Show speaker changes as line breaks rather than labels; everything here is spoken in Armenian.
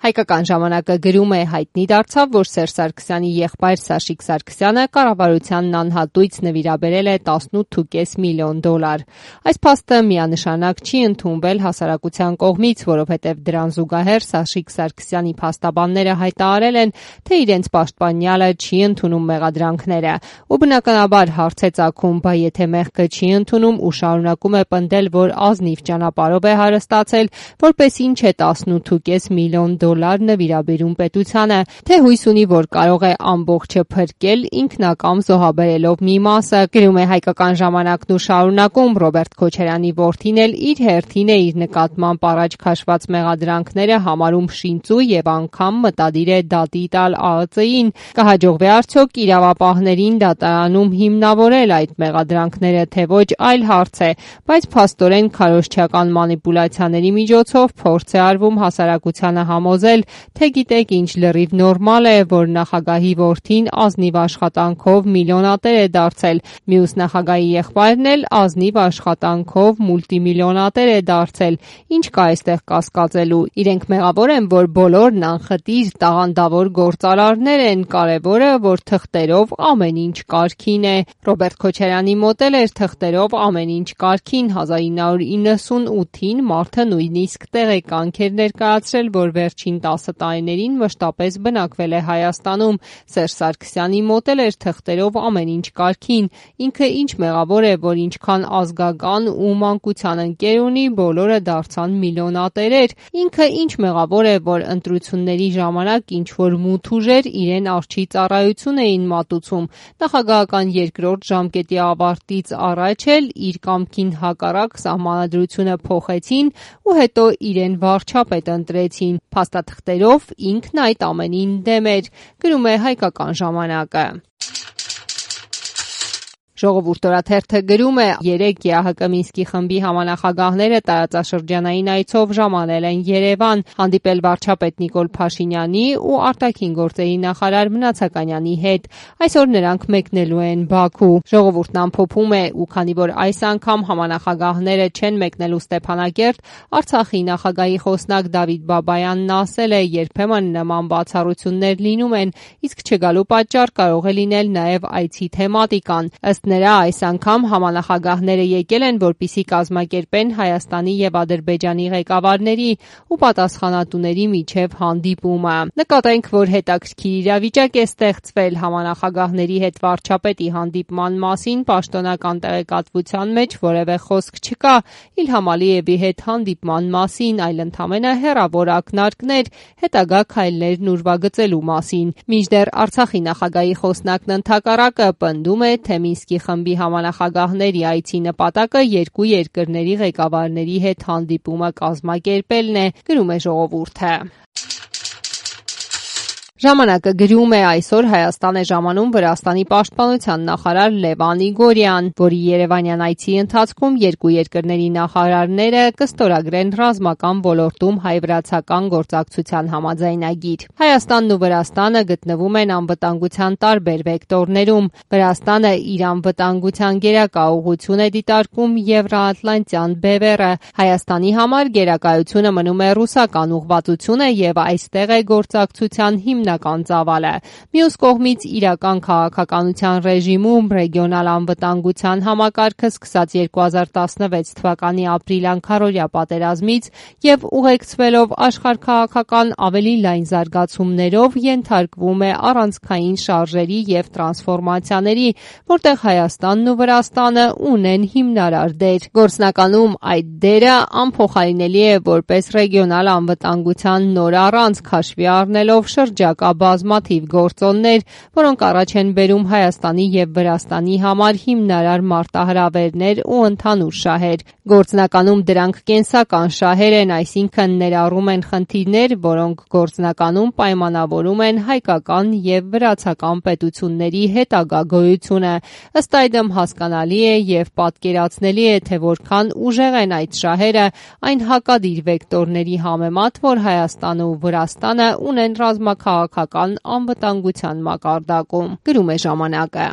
Հայկական ժամանակը գրում է հայտնի դարձավ, որ Սերժ Սարգսյանի եղբայր Սաշիկ Սարգսյանը կառավարությանն անհատույց նվիրաբերել է $18.5 միլիոն։ Այս փաստը միանշանակ չի ընդունվել հասարակության կողմից, որովհետև դրան զուգահեռ Սաշիկ Սարգսյանի փաստաբանները հայտարարել են, թե իրենց պաշտպանյալը չի ընդունում մեղադրանքները, ու բնականաբար հարց է ծագում, բա եթե մեղքը չի ընդունում ու շարունակում է պնդել, որ ազնիվ ճանապարհով է հարստացել, որպես ինչ է $18.5 միլիոն նվիրաբերում պետությանը, թե հույս ունի, որ կարող է ամբողջը փրկել ինքնակամ զոհաբերելով մի մասը, գրում է Հայկական ժամանակն ու շարունակում, Ռոբերտ Քոչարյանի որդին էլ իր հերթին է իր նկատմամբ առաջ քաշված մեղադրանքները համարում շինծու եւ անգամ մտադիր է դատի տալ ԱԱԾ-ին։ Կհաջողվի արդյոք իրավապահներին դատարանում հիմնավորել այդ մեղադրանքները, թե ոչ, այլ հարց է, բայց փաստորեն քարոզչական մանիպուլյացիաների միջոցով փորձ է արվում հասարակությանը համոզել, թե գիտեք ինչ լրիվ նորմալ է, որ նախագահի որդին ազնիվ աշխատանքով միլիոնատեր է դարձել, մյուս նախագահի եղբայրն էլ ազնիվ աշխատանքով մուլտիմիլիոնատեր է դարձել, ինչ կա այստեղ կասկածելու, իրենք մեղավոր են, որ բոլորն անխտիր տաղանդավոր գործարարներ են, կարևորը, որ թղթերով ամեն ինչ կարգին է։ Ռոբերտ Քոչարյանի մոտ էլ էր թղթերով ամեն ինչ կարգին, 1998-ին մարդը նույնիսկ տեղեկանք էր ներկայացրել, որ վերջին 10 տարիներին մշտապես բնակվել է Հայաստանում, Սերժ Սարգսյանի մոտ էլ էր թղթերով ամեն ինչ կարգին, ինքը ինչ մեղավոր է, որ ինչքան ազգական ու մանկության ընկեր ունի, բոլորը դարձան միլիոնատերեր, ինքը ինչ մեղավոր է, որ ընտրությունների ժամանակ ինչ-որ մութ ուժեր իրեն արջի ծառայություն էին մատուցում, նախագահական երկրորդ ժամկետի ավարտից առաջ էլ իր կամքին հակառակ սահմանադրությունը փոխեցին ու հետո իրեն վարչապետ ընտրեցին, փաստաթղթերով ինքն այդ ամենին դեմ էր, գրում է Հայկական ժամանակը։ Ժողովուրդ օրաթերթը գրում է. երեկ ԵԱՀԿ Մինսկի խմբի համանախագահները տարածաշրջանային այցով ժամանել են Երևան, հանդիպել վարչապետ Նիկոլ Փաշինյանի ու արտաքին գործերի նախարար Մնացականյանի հետ։ Այսօր նրանք մեկնելու են Բաքու։ Ժողովուրդն ամփոփում է, ու քանի որ այս անգամ համանախագահները չեն մեկնելու Ստեփանակերտ, Արցախի նախագահի խոսնակ Դավիթ Բաբայանն ասել է, երբեմն նման բացառություններ լինում են, իսկ չգալու պատճառ կարող է լինել նաև այցի թեմատիկան։ Ըստ նրա, այս անգամ համանախագահները եկել են, որպեսզի կազմակերպեն Հայաստանի եւ Ադրբեջանի ղեկավարների ու պատասխանատուների միջև հանդիպումը։ Նկատենք, որ հետաքրքիր իրավիճակ է ստեղծվել համանախագահների հետ վարչապետի հանդիպման մասին պաշտոնական տեղեկատվության մեջ որևէ խոսք չկա Իլհամ Ալիևի հետ հանդիպման մասին, այլ ընդամենը հեռավոր ակնարկներ, հետագա քայլներն ուրվագծելու մասին։ Մինչդեռ Արցախի նախագահի խոսնակն ընդհակառակը պնդում է, թե Մինսկի խմբի համանախագահների այցի նպատակը երկու երկրների ղեկավարների հետ հանդիպումը կազմակերպելն է, գրում է Ժողովուրդը։ Ժամանակը գրում է. այսօր Հայաստան է ժամանում Վրաստանի պաշտպանության նախարար Լևան Իգորյան, որի երևանյան այցի ընթացքում երկու երկրների նախարարները կստորագրեն ռազմական ոլորտում հայ-վրացական գործակցության համաձայնագիր։ Հայաստանն ու Վրաստանը գտնվում են անվտանգության տարբեր վեկտորներում։ Վրաստանը իր անվտանգության գերակա ուղղություն է դիտարկում Եվրաատլանտյան բևեռը։ Հայաստանի համար գերակայությունը մնում է ռուսական ուղղվածությունը եւ այստեղ է գործակցության հիմնական ծավալը։ Մյուս կողմից իրական քաղաքականության ռեժիմում ռեգիոնալ անվտանգության համակարգը սկսած 2016 թվականի ապրիլյան քառորյա պատերազմից եւ ուղեկցվելով աշխարհքաղաքական ավելի լայն զարգացումներով ենթարկվում է առանցքային շարժերի եւ տրանսֆորմացիաների, որտեղ Հայաստանն ու Վրաստանը ունեն հիմնարար դեր։ Գործնականում այդ դերը անփոխարինելի է որպես ռեգիոնալ անվտանգության նոր առանցք հաշվի առնելով շրջակա բազմաթիվ գործոններ, որոնք առաջ են բերում Հայաստանի եւ Վրաստանի համար հիմնարար մարտահրավերներ ու ընդհանուր շահեր։ Գործնականում դրանք կենսական շահեր են, այսինքն ներառում են խնդիրներ, որոնք գործնականում պայմանավորում են հայկական եւ վրացական պետությունների հետագա գոյությունը։ Ըստ այդմ հասկանալի է եւ պատկերացնելի է, թե որքան ուժեղ են այդ շահերը այն հակադիր վեկտորների համեմատ, որ Հայաստանը ու Վրաստանը ունեն ռազմաքաղաքական անվտանգության մակարդակում, գրում է ժամանակը։